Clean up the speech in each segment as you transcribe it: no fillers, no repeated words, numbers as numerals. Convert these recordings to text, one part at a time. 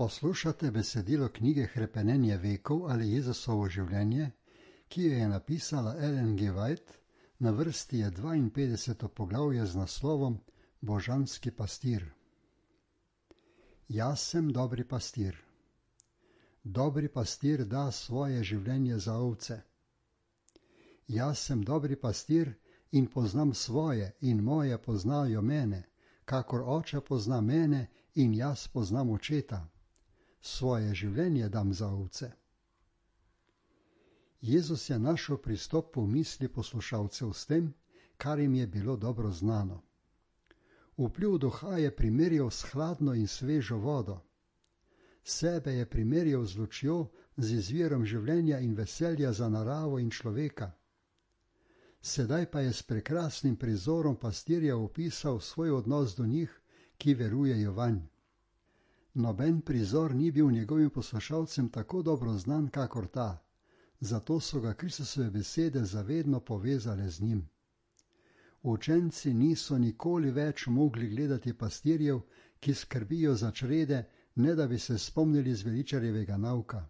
Poslušate besedilo knjige Hrepenenje vekov ali Jezusovo življenje, ki jo je napisala Ellen G. White, na vrsti je 52. poglavje z naslovom Božanski pastir. Jaz sem dobri pastir. Dobri pastir da svoje življenje za ovce. Jaz sem dobri pastir in poznam svoje in moje poznajo mene, kakor oče pozna mene in jaz poznam očeta. Svoje življenje dam za ovce. Jezus je našel pristop v misli poslušalcev s tem, kar jim je bilo dobro znano. Vpliv duha je primerjal s hladno in svežo vodo. Sebe je primerjal z lučjo, z izvirom življenja in veselja za naravo in človeka. Sedaj pa je s prekrasnim prizorom pastirja opisal svoj odnos do njih, ki verujejo vanj. Noben prizor ni bil njegovim poslušalcem tako dobro znan kakor ta, zato so ga Kristusove besede zavedno povezale z njim. Učenci niso nikoli več mogli gledati pastirjev, ki skrbijo za črede, ne da bi se spomnili zveličarjevega nauka.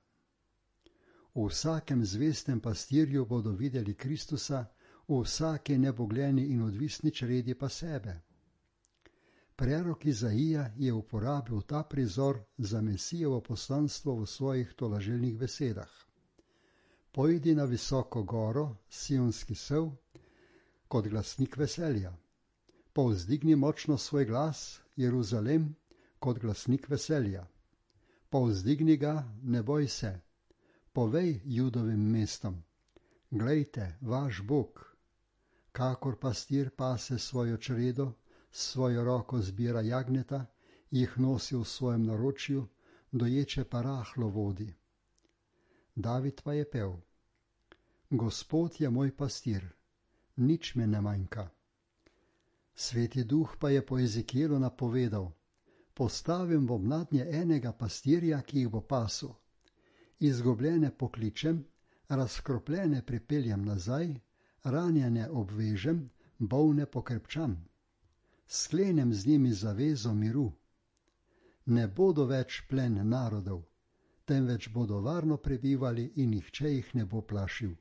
V vsakem zvestem pastirju bodo videli Kristusa, v vsaki nebogljeni in odvisni čredi pa sebe. Prerok Izaija je uporabil ta prizor za Mesijevo poslanstvo v svojih tolažilnih besedah. Pojdi na visoko goro, sionski sev, kot glasnik veselja. Povzdigni močno svoj glas, Jeruzalem, kot glasnik veselja. Povzdigni ga, ne boj se. Povej Judovim mestom, glejte, vaš Bog. Kakor pastir pase svojo čredo, svojo roko zbira jagnjeta, jih nosi v svojem naročju, doječe pa rahlo vodi. David pa je pel: Gospod je moj pastir, nič me ne manjka. Sveti duh pa je po Ezekielu napovedal: postavim bom nadnje enega pastirja, ki jih bo pasel. Izgubljene pokličem, razkropljene pripeljem nazaj, ranjene obvežem, bolne pokrepčam. Sklenem z njimi zavezo miru. Ne bodo več plen narodov, temveč bodo varno prebivali in nihče jih ne bo plašil.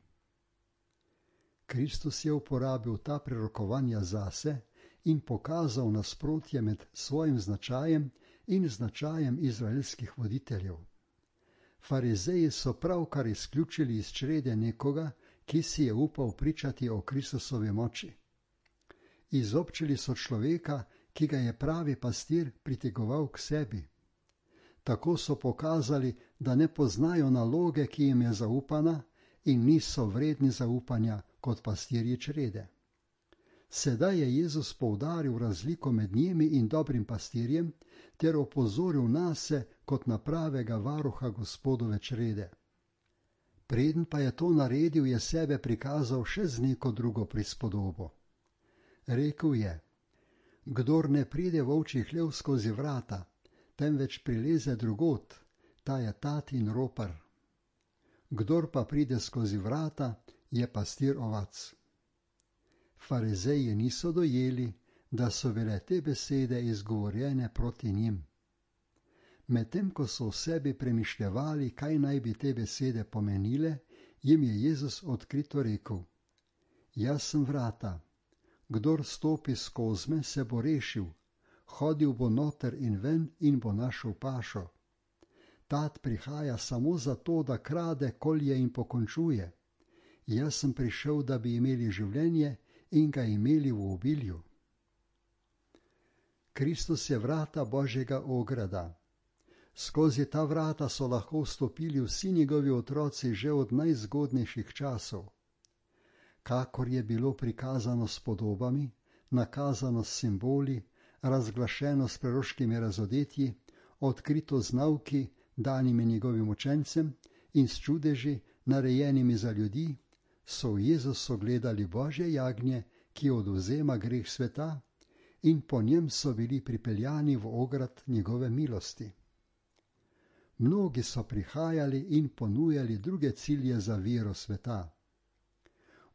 Kristus je uporabil ta prerokovanja zase in pokazal nasprotje med svojim značajem in značajem izraelskih voditeljev. Farizeji so pravkar izključili iz črede nekoga, ki si je upal pričati o Kristusovi moči. Izobčili so človeka, ki ga je pravi pastir pritegoval k sebi. Tako so pokazali, da ne poznajo naloge, ki jim je zaupana, in niso vredni zaupanja kot pastirji črede. Sedaj je Jezus poudaril razliko med njimi in dobrim pastirjem ter opozoril nase kot na pravega varuha Gospodove črede. Preden pa je to naredil, je sebe prikazal še z neko drugo prispodobo. Rekel je: kdor ne pride v ovčji hlev skozi vrata, temveč prileze drugot, ta je tat in ropar. Kdor pa pride skozi vrata, je pastir ovac. Farizeji niso dojeli, da so bile te besede izgovorjene proti njim. Medtem ko so v sebi premišljevali, kaj naj bi te besede pomenile, jim je Jezus odkrito rekel: jaz sem vrata. Kdor stopi skozi me, se bo rešil, hodil bo noter in ven in bo našel pašo. Tat prihaja samo zato, da krade, kolje in pokončuje. Jaz sem prišel, da bi imeli življenje in ga imeli v obilju. Kristus je vrata Božjega ograda. Skozi ta vrata so lahko vstopili vsi njegovi otroci že od najzgodnejših časov. Kakor je bilo prikazano s podobami, nakazano s simboli, razglašeno s proroškimi razodetji, odkrito z nauki, danimi njegovim učencem in s čudeži, narejenimi za ljudi, so v Jezusu gledali Božje jagnje, ki odvzema greh sveta, in po njem so bili pripeljani v ograd njegove milosti. Mnogi so prihajali in ponujali druge cilje za vero sveta.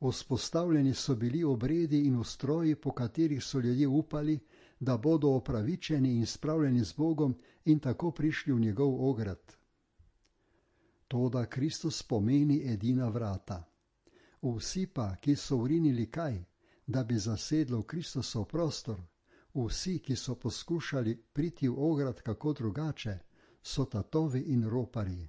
Vzpostavljeni so bili obredi in ustroji, po katerih so ljudje upali, da bodo opravičeni in spravljeni z Bogom in tako prišli v njegov ograd. Toda Kristus pomeni edina vrata. Vsi pa, ki so vrinili kaj, da bi zasedlo v Kristusov prostor, vsi, ki so poskušali priti v ograd kako drugače, so tatovi in roparji.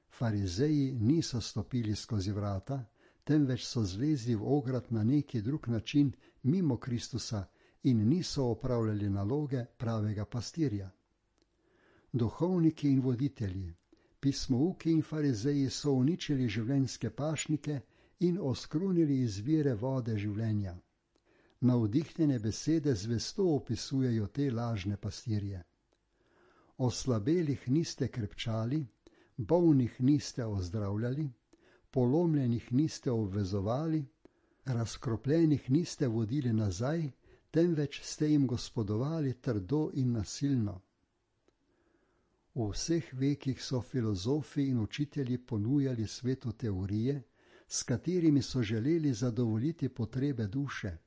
Farizeji niso stopili skozi vrata, temveč so zlezli v ograd na neki drug način mimo Kristusa in niso opravljali naloge pravega pastirja. Duhovniki in voditelji, pismouki in farizeji so uničili življenjske pašnike in oskrunili izvire vode življenja. Navdihnjene besede zvesto opisujejo te lažne pastirje. Oslabelih niste krepčali, bolnih niste ozdravljali, polomljenih niste obvezovali, razkropljenih niste vodili nazaj, temveč ste jim gospodovali trdo in nasilno. V vseh vekih so filozofi in učitelji ponujali svetu teorije, s katerimi so želeli zadovoljiti potrebe duše.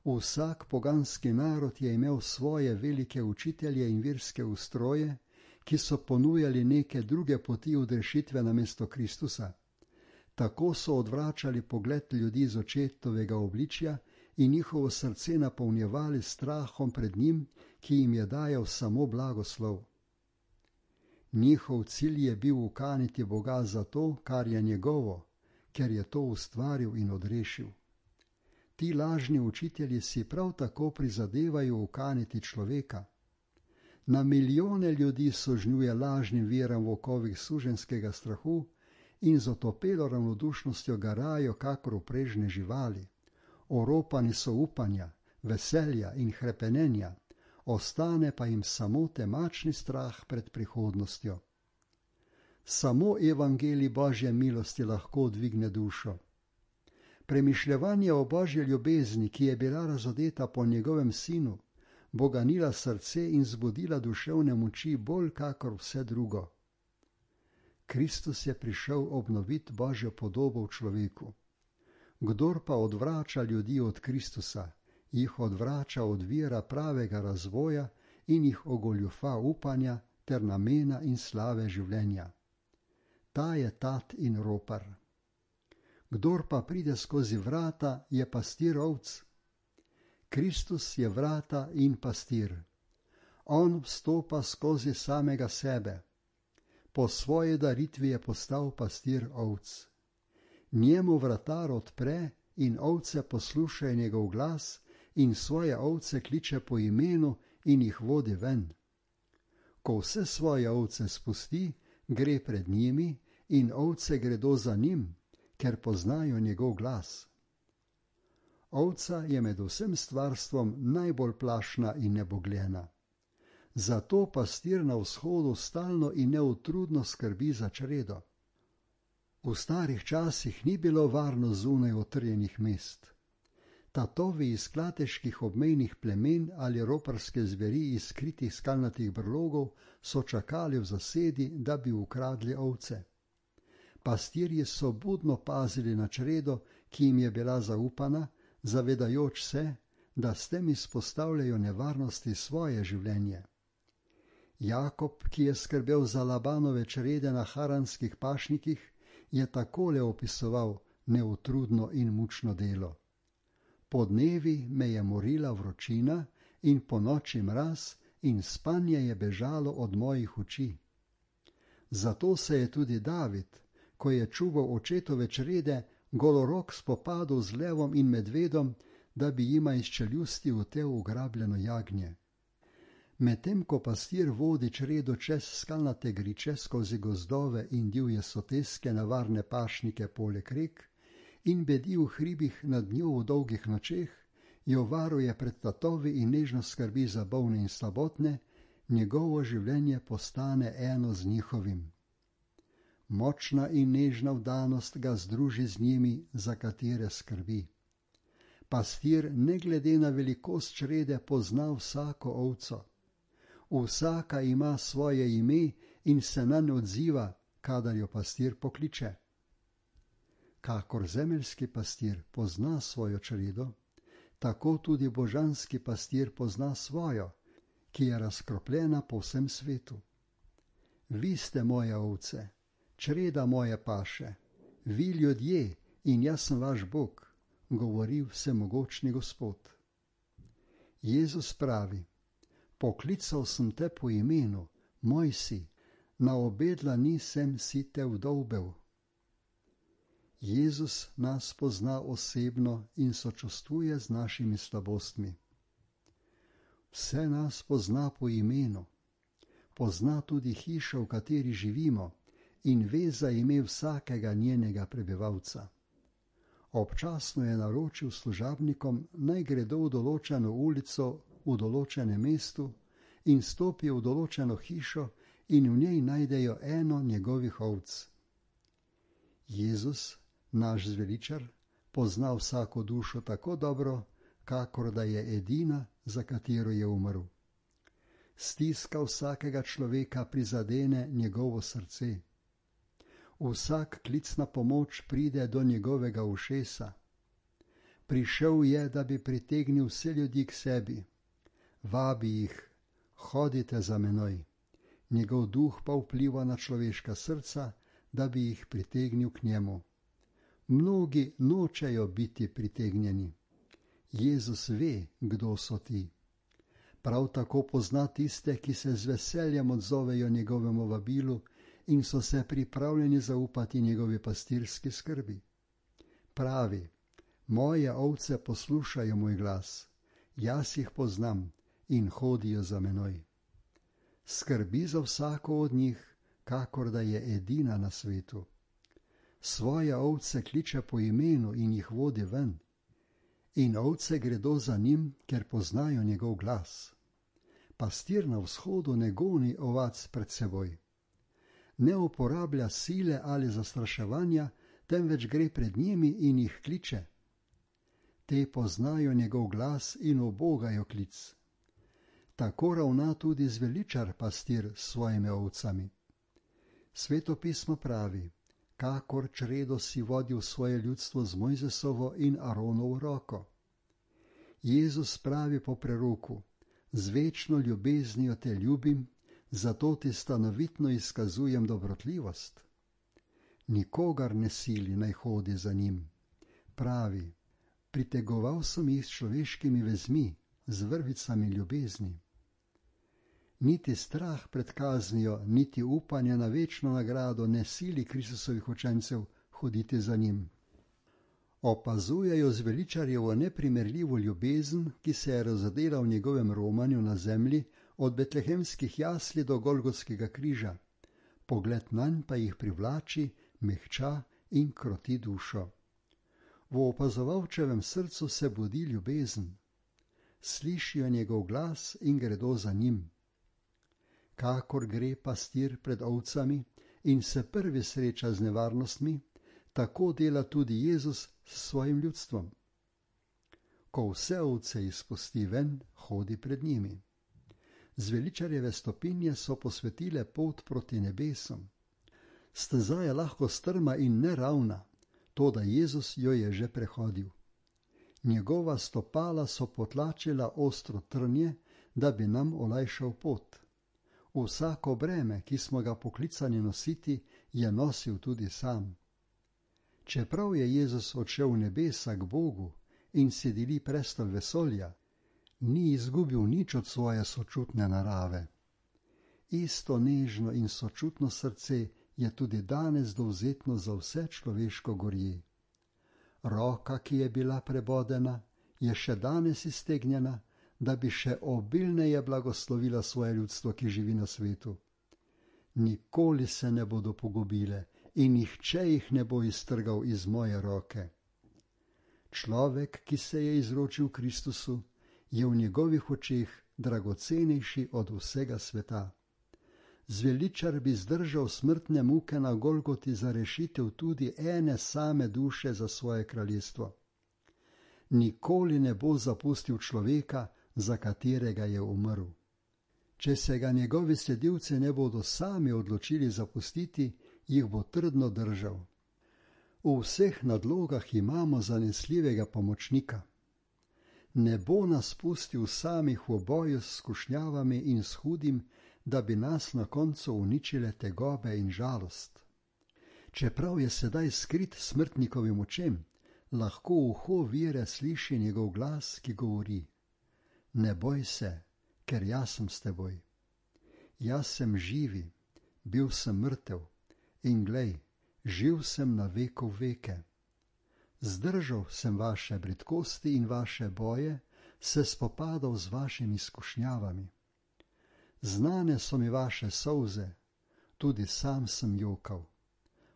Vsak poganski narod je imel svoje velike učitelje in verske ustroje, ki so ponujali neke druge poti odrešitve namesto Kristusa. Tako so odvračali pogled ljudi z očetovega obličja in njihovo srce napolnjevali strahom pred njim, ki jim je dajal samo blagoslov. Njihov cilj je bil ukaniti Boga za to, kar je njegovo, ker je to ustvaril in odrešil. Ti lažni učitelji si prav tako prizadevajo ukaniti človeka. Na milijone ljudi sožnjuje lažnim veram v okovih suženjskega strahu in z otopelo ravnodušnostjo garajo kakor uprežne živali. Oropani so upanja, veselja in hrepenenja, ostane pa jim samo temačni strah pred prihodnostjo. Samo evangelij Božje milosti lahko dvigne dušo. Premišljevanje o Božji ljubezni, ki je bila razodeta po njegovem sinu, bo ganila srce in zbudila duševne moči bolj kakor vse drugo. Kristus je prišel obnoviti Božjo podobo v človeku. Kdor pa odvrača ljudi od Kristusa, jih odvrača od vira pravega razvoja in jih ogoljufa upanja ter namena in slave življenja. Ta je tat in ropar. Kdor pa pride skozi vrata, je pastir ovc. Kristus je vrata in pastir. On vstopa skozi samega sebe. Po svoji daritvi je postal pastir ovc. Njemu vratar odpre in ovce poslušajo njegov glas in svoje ovce kliče po imenu in jih vodi ven. Ko vse svoje ovce spusti, gre pred njimi in ovce gredo za njim, ker poznajo njegov glas. Ovca je med vsem stvarstvom najbolj plašna in nebogljena. Zato pastir na vzhodu stalno in neutrudno skrbi za čredo. V starih časih ni bilo varno zunaj utrjenih mest. Tatovi iz klateških obmejnih plemen ali roparske zveri iz skritih skalnatih brlogov so čakali v zasedi, da bi ukradli ovce. Pastirji so budno pazili na čredo, ki jim je bila zaupana, zavedajoč se, da s tem izpostavljajo nevarnosti svoje življenje. Jakob, ki je skrbel za Labanove črede na haranskih pašnikih, je takole opisoval neutrudno in mučno delo. Podnevi me je morila vročina in ponoči mraz in spanje je bežalo od mojih oči. Zato se je tudi David, ko je čuval očetove črede, golorok spopadal z levom in medvedom, da bi jima iz čeljusti utel ugrabljeno jagnje. Medtem ko pastir vodi čredo čez skalnate griče skozi gozdove in divje soteske na varne pašnike poleg rek in bedi v hribih nad njo v dolgih nočeh, jo varuje pred tatovi in nežno skrbi za bolne in slabotne, njegovo življenje postane eno z njihovim. Močna in nežna vdanost ga združi z njimi, za katere skrbi. Pastir ne glede na velikost črede pozna vsako ovco. Vsaka ima svoje ime in se nanj odziva, kadar jo pastir pokliče. Kakor zemeljski pastir pozna svojo čredo, tako tudi božanski pastir pozna svojo, ki je razkropljena po vsem svetu. Vi ste moje ovce, čreda moje paše, vi ljudje in jaz sem vaš Bog, govori vsemogočni Gospod. Jezus pravi, poklical sem te po imenu, moj si, na obe dlani sem si te vdolbel. Jezus nas pozna osebno in sočustvuje z našimi slabostmi. Vse nas pozna po imenu, pozna tudi hišo, v kateri živimo, in ve za ime vsakega njenega prebivalca. Občasno je naročil služabnikom, naj gredo v določeno ulico v določenem mestu in stopijo v določeno hišo in v njej najdejo eno njegovih ovc. Jezus, naš zveličar, pozna vsako dušo tako dobro, kakor da je edina, za katero je umrl. Stiska vsakega človeka prizadene njegovo srce. Vsak klic na pomoč pride do njegovega ušesa. Prišel je, da bi pritegnil vse ljudi k sebi. Vabi jih, hodite za menoj. Njegov duh pa vpliva na človeška srca, da bi jih pritegnil k njemu. Mnogi nočejo biti pritegnjeni. Jezus ve, kdo so ti. Prav tako pozna tiste, ki se z veseljem odzovejo njegovemu vabilu in so se pripravljeni zaupati njegovi pastirski skrbi. Pravi, moje ovce poslušajo moj glas, jaz jih poznam in hodijo za menoj. Skrbi za vsako od njih, kakor da je edina na svetu. Svoje ovce kliče po imenu in jih vodi ven. In ovce gredo za njim, ker poznajo njegov glas. Pastir na vzhodu ne goni ovac pred seboj. Ne uporablja sile ali zastraševanja, temveč gre pred njimi in jih kliče. Te poznajo njegov glas in ubogajo klic. Tako ravna tudi zveličar pastir s svojimi ovcami. Sveto pismo pravi, kakor čredo si vodil svoje ljudstvo z Mojzesovo in Aronovo roko. Jezus pravi po preroku, z večno ljubeznijo te ljubim, zato ti stanovitno izkazujem dobrotljivost. Nikogar ne sili naj hodi za njim. Pravi, pritegoval sem jih s človeškimi vezmi, z vrvicami ljubezni. Niti strah pred kaznijo, niti upanje na večno nagrado ne sili Kristusovih učencev hoditi za njim. Opazujejo zveličarjevo neprimerljivo ljubezen, ki se je razodela v njegovem romanju na zemlji od betlehemskih jasli do Golgotskega križa. Pogled nanj pa jih privlači, mehča in kroti dušo. V opazovalčevem srcu se budi ljubezen. Slišijo njegov glas in gredo za njim. Kakor gre pastir pred ovcami in se prvi sreča z nevarnostmi, tako dela tudi Jezus s svojim ljudstvom. Ko vse ovce izpusti ven, hodi pred njimi. Zveličarjeve stopinje so posvetile pot proti nebesom. Steza je lahko strma in neravna, toda Jezus jo je že prehodil. Njegova stopala so potlačila ostro trnje, da bi nam olajšal pot. Vsako breme, ki smo ga poklicani nositi, je nosil tudi sam. Čeprav je Jezus odšel v nebesa k Bogu in si deli prestol vesolja, ni izgubil nič od svoje sočutne narave. Isto nežno in sočutno srce je tudi danes dovzetno za vse človeško gorje. Roka, ki je bila prebodena, je še danes iztegnjena, da bi še obilneje blagoslovila svoje ljudstvo, ki živi na svetu. Nikoli se ne bodo pogubile in nihče jih ne bo iztrgal iz moje roke. Človek, ki se je izročil Kristusu, je v njegovih očeh dragocenejši od vsega sveta. Zveličar bi zdržal smrtne muke na Golgoti za rešitev tudi ene same duše za svoje kraljestvo. Nikoli ne bo zapustil človeka, za katerega je umrl. Če se ga njegovi sledilci ne bodo sami odločili zapustiti, jih bo trdno držal. V vseh nadlogah imamo zanesljivega pomočnika. ne bo nas pustil samih v boju s skušnjavami in s hudim, da bi nas na koncu uničile tegobe in žalost. Čeprav je sedaj skrit smrtnikovim očem, lahko uho vere sliši njegov glas, ki govori: Ne boj se, ker jaz sem s teboj. Jaz sem živi, bil sem mrtev in glej, živ sem na veku veke. Zdržal sem vaše bridkosti in vaše boje, se spopadal z vašimi skušnjavami. Znane so mi vaše solze, tudi sam sem jokal.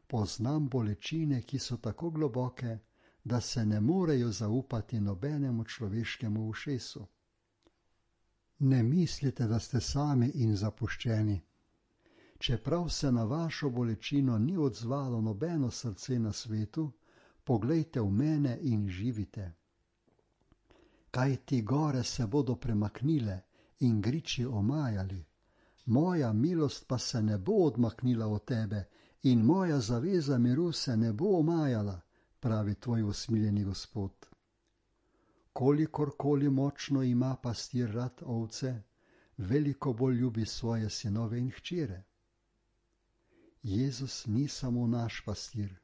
Poznam bolečine, ki so tako globoke, da se ne morejo zaupati nobenemu človeškemu ušesu. Ne mislite, da ste sami in zapuščeni. Čeprav se na vašo bolečino ni odzvalo nobeno srce na svetu, poglejte v mene in živite. Kaj ti gore se bodo premaknile in griči omajali, moja milost pa se ne bo odmaknila od tebe in moja zaveza miru se ne bo omajala, pravi tvoj usmiljeni Gospod. Kolikorkoli močno ima pastir rad ovce, veliko bolj ljubi svoje sinove in hčere. Jezus ni samo naš pastir,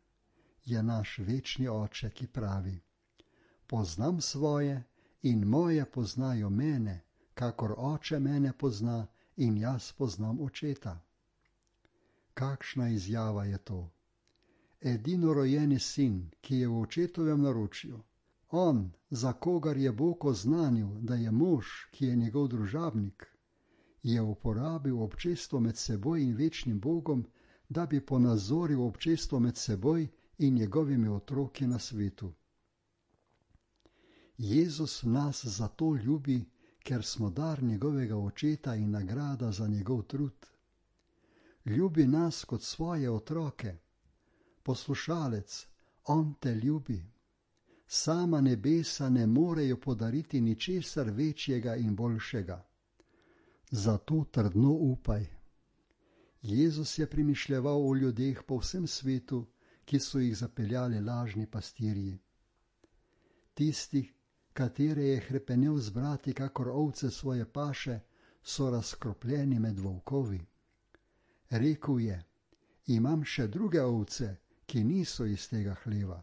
je naš večni oče, ki pravi: Poznam svoje in moje poznajo mene, kakor oče mene pozna in jaz poznam očeta. Kakšna izjava je to? Edinorojeni sin, ki je v očetovem naročju, on, za kogar je Bog oznanil, da je mož, ki je njegov družabnik, je uporabil občestvo med seboj in večnim Bogom, da bi ponazoril občestvo med seboj in njegovimi otroki na svetu. Jezus nas zato ljubi, ker smo dar njegovega očeta in nagrada za njegov trud. Ljubi nas kot svoje otroke. Poslušalec, on te ljubi. Sama nebesa ne morejo podariti ničesar večjega in boljšega. Zato trdno upaj. Jezus je premišljeval o ljudeh po vsem svetu, ki so jih zapeljali lažni pastirji. Tisti, katere je hrepenel zbrati kakor ovce svoje paše, so razkropljeni med volkovi. Rekel je: Imam še druge ovce, ki niso iz tega hleva.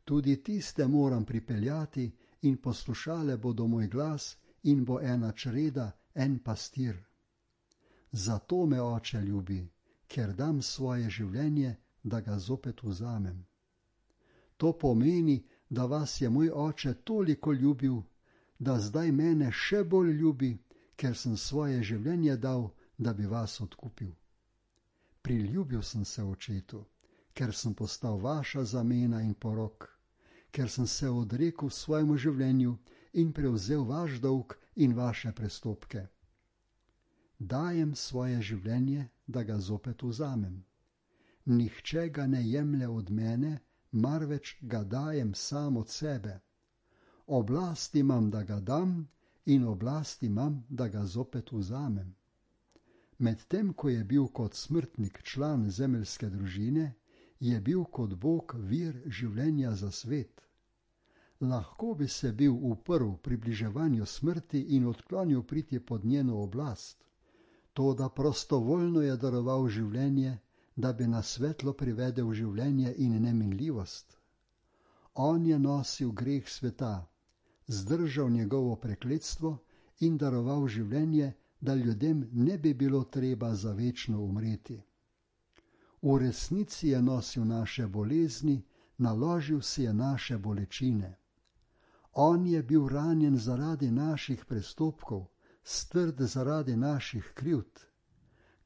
Tudi tiste moram pripeljati in poslušale bodo moj glas in bo ena čreda, en pastir. Zato me oče ljubi, ker dam svoje življenje, da ga zopet vzamem. To pomeni, da vas je moj oče toliko ljubil, da zdaj mene še bolj ljubi, ker sem svoje življenje dal, da bi vas odkupil. Priljubil sem se očetu, ker sem postal vaša zamena in porok, ker sem se odrekel svojemu življenju in prevzel vaš dolg in vaše prestopke. Dajem svoje življenje, da ga zopet vzamem. Nihče ga ne jemlje od mene, marveč ga dajem sam od sebe. Oblast imam, da ga dam, in oblast imam, da ga zopet vzamem. Medtem ko je bil kot smrtnik član zemeljske družine, je bil kot Bog vir življenja za svet. Lahko bi se bil uprl približevanju smrti in odklonil priti pod njeno oblast, toda prostovoljno je daroval življenje, da bi na svetlo privedel življenje in neminljivost. On je nosil greh sveta, zdržal njegovo prekletstvo in daroval življenje, da ljudem ne bi bilo treba za večno umreti. V resnici je nosil naše bolezni, naložil si je naše bolečine. On je bil ranjen zaradi naših prestopkov, strd zaradi naših krivd.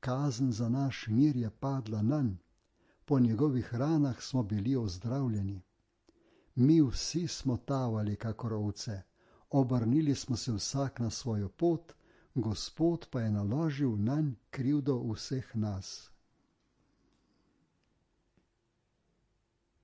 Kazen za naš mir je padla nanj, po njegovih ranah smo bili ozdravljeni. Mi vsi smo tavali kakor ovce, obrnili smo se vsak na svojo pot, Gospod pa je naložil nanj krivdo vseh nas.